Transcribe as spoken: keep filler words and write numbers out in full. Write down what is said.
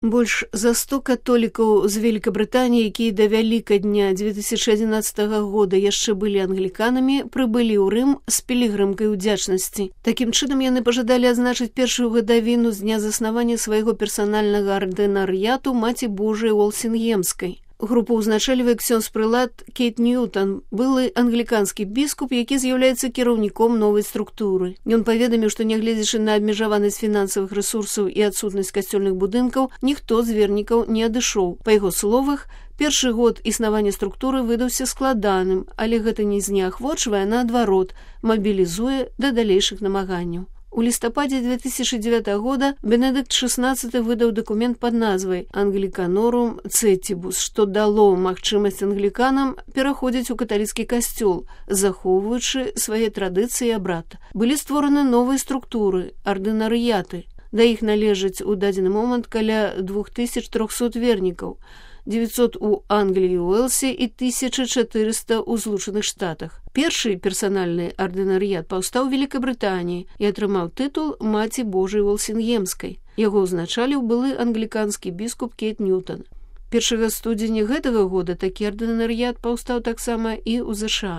Больш за сто католікаў з Великабрытаніі, якія да Вялікадня две тысячи одиннадцатого года яшчэ былі англіканамі, прыбылі ў Рым з пілігрымкай удзячнасці. Такім чынам яны пажадалі адзначыць першую гадавіну з дня заснавання свайго персанальнага ардынарыяту Маці Божай Уолсінгемскай. Групу ўзначальвае ксёндз-прылад Кейт Ньютон, былы англіканскі біскуп, які з'яўляецца кіраўніком новай структуры. Ён паведаміў, што нягледзячы на абмежаванасць фінансавых рэсурсаў і адсутнасць касцёльных будынкаў, ніхто з вернікаў не адышоў. Па яго словах, першы год існавання структуры выдаўся складаным, але гэта не знеахвочвае, наадварот, мабілізуе да далейшых намаганняў. У лістападзе две тысячи девятого года Бенедыкт шестнадцаты выдаў дакумент пад назвай «Англіканорум Цетібус», што дало магчымасць англіканам пераходзіць у каталіцкі касцёл, захоўваючы свае традыцыі і абрад. Былі створаны новыя структуры, ардынарыяты. Да іх належыць у дадзены момант каля двух тысяч трохсот вернікаў, девятьсот у Англіі і Уэлсе і тысяча чатырыста ў Злучаных Штатах. Першы персанальны ардынарыят паўстаў у Великабрытаніі і атрымаў тытул Маці Божай Уолсінгемскай. Яго ўзначаліў былы англіканскі біскуп Кейт Ньютон. Першага студзеня гэтага года такі ардынарыят паўстаў таксама і ў ЗША.